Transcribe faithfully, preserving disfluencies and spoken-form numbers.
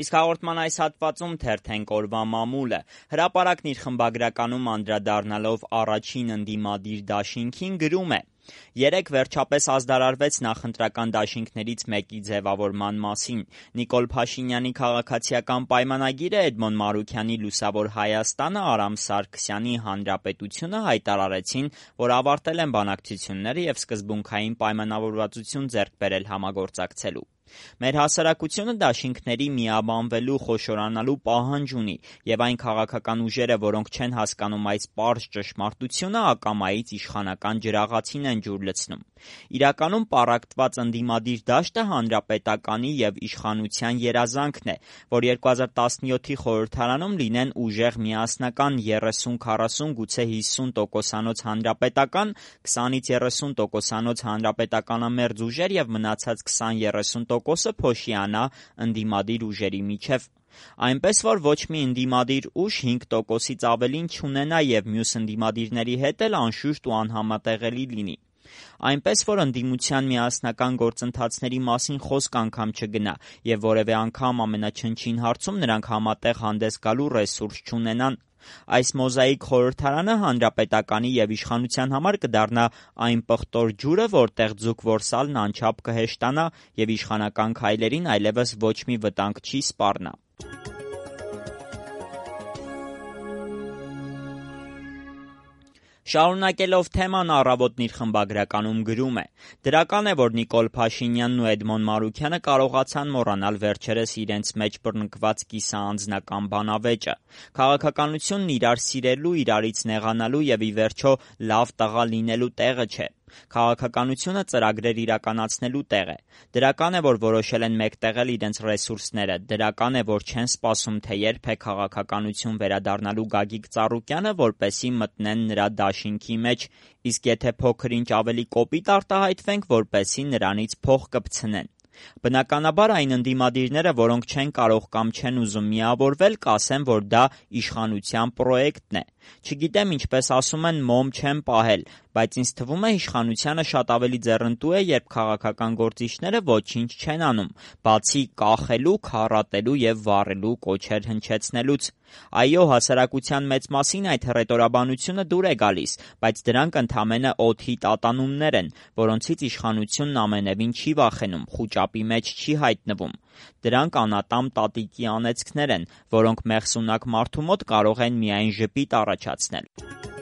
Իսկ հաղորդման այս հատվածում թերթենք օրվա մամուլը։ Հրապարակն իր խմբագրականում անդրադառնալով առաջին ընդդիմադիր դաշինքին գրում է. Երեկ վերջապես ազդարարվեց նախընտրական դաշինքներից մեկի ձևավորման մասին։ Նիկոլ Փաշինյանի քաղաքացիական պայմանագիրը, Էդմոն Մարուքյանի Լուսավոր Հայաստանը, Արամ Սարգսյանի Հանրապետությունը հայտարարեցին, որ ավարտել են բանակցությունները և սկզբունքային պայմանավորվածություն ձեռք բերել համագործակցելու։ Մեր հասարակությունը դաշինքների միաբանվելու, խոշորանալու պահանջ ունի, և այն քաղաքական ուժերը, որոնք չեն հասկանում այս պարզ ճշմարտությունը, ակամայից իշխանական ջրաղացին են ջուր լցնում։ Իրականում պառակտված ընդդիմադիր դաշտը հանրապետականի և իշխանության երազանքն է, որ երկու հազար տասնյոթի խորհրդարանում լինեն ուժեղ միասնական երեսուն քառասուն, գուցե հիսուն տոկոսանոց հանրապետական, քսանից երեսուն տոկոսանոց հանրապետականամերձ ուժեր և մնացած քսան երեսուն տոկոսը փոշիանա ընդդիմադիր ուժերի միջև։ Այնպես, որ ոչ մի ընդդիմադիր ուժ հինգ տոկոսից ավելին չունենա և մյուս ընդդիմադիրների հետ էլ անշուշտ ու անհամատեղելի լինի։ Այնպես, որ ընդդիմության միասնական գործընթացների մասին խոսք անգամ չգնա և որևէ անգամ ամենաչնչին հարցում նրանք համատեղ հանդես գալու ռեսուրս չունենան։ Այս մոզաիկ խորհրդարանը հանրապետականի և իշխանության համար կդառնա այն պղտոր ջուրը, որտեղ ձուկ որսալն անչափ կհեշտանա և իշխանական քայլերին այլևս ոչ մի վտանգ չի սպառնա։ Շարունակելով թեման, Առավոտն իր խմբագրականում գրում է. «Դրական է, որ Նիկոլ Փաշինյանն ու Էդմոն Մարուքյանը կարողացան մոռանալ վերջերս իրենց մեջ բռնկված կիսաանձնական բանավեճը։ Քաղաքականությունն իրար սիրելու, իրարից նեղանալու և ի վերջո լավ տղա լինելու տեղը չէ։ Քաղաքականությունը ծրագրեր իրականացնելու տեղ է։ Դրական է, որ որոշել են մեկտեղել իրենց ռեսուրսները։ Դրական է, որ չեն սպասում, թե երբ է քաղաքականություն վերադառնալու Գագիկ Ծառուկյանը, որպեսզի մտնեն նրա դաշինքի մեջ, իսկ եթե փոքր-ինչ ավելի կոպիտ արտահայտվենք, որպեսզի նրանից փող կպցնեն։ Բնականաբար այն ընդդիմադիրները, որոնք չեն կարող կամ չեն ուզում միավորվել, կասեն, որ դա իշխանության պրոյեկտն է։ Չգիտեմ, ինչպես ասում են, մոմ չեմ պահել, բայց ինձ թվում է իշխանությանը շատ ավելի ձեռնտու է, երբ քաղաքական գործիչները ոչինչ չեն անում, բացի կախելու, քառատելու և վառելու կոչեր հնչեցնելուց։ Այո, հասարակության մեծ մասին այդ հռետորաբանությունը դուր է գալիս, բայց դրանք ընդամենը օդի տատանումներ են, որոնցից իշխանությունն ամենևին չի վախենում, խուճապի մեջ չի հայտնվում։ Դրանք անատամ տատիկի անեծքներ են, որոնք մեղսունակ մարդու մոտ կարող են միայն ժպիտ առաջացնել»։